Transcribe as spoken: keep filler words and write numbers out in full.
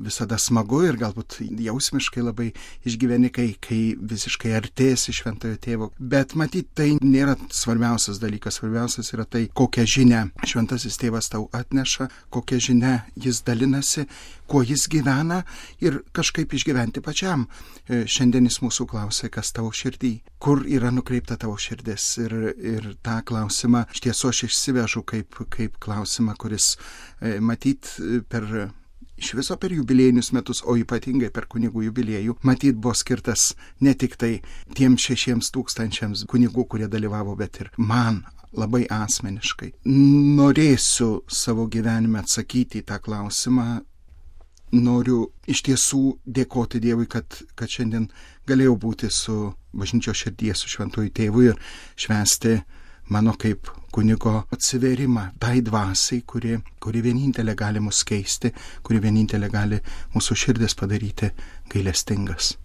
visada smagu ir galbūt jausmiškai labai išgyveni, kai, kai visiškai artėsi šventojo tėvo. Bet matyt, tai nėra svarbiausias dalykas. Svarbiausias yra tai, kokią žinią šventasis tėvas tau atneša, kokią žinią jis dalinasi, kuo jis gyvena ir kažkaip išgyventi pačiam. Šiandien jis mūsų klausia, kas tavo širdį, kur yra nukreipta tavo širdis. Ir, ir tą klausimą iš tiesų aš išsivežu kaip, kaip klausimą, kuris matyt per iš viso per jubiliejinius metus, o ypatingai per kunigų jubiliejų, matyt buvo skirtas ne tik tai tiems šešiems tūkstančiams kunigų, kurie dalyvavo, bet ir man labai asmeniškai. Norėsiu savo gyvenime atsakyti į tą klausimą. Noriu iš tiesų dėkoti Dievui, kad, kad šiandien galėjau būti su bažnyčios širdyje, su šventuoju tėvu ir švęsti mano kaip kunigo atsiverimą tai dvasiai, kuri, kuri vienintelė gali mus keisti, kuri vienintelė gali mūsų širdis padaryti gailestingas.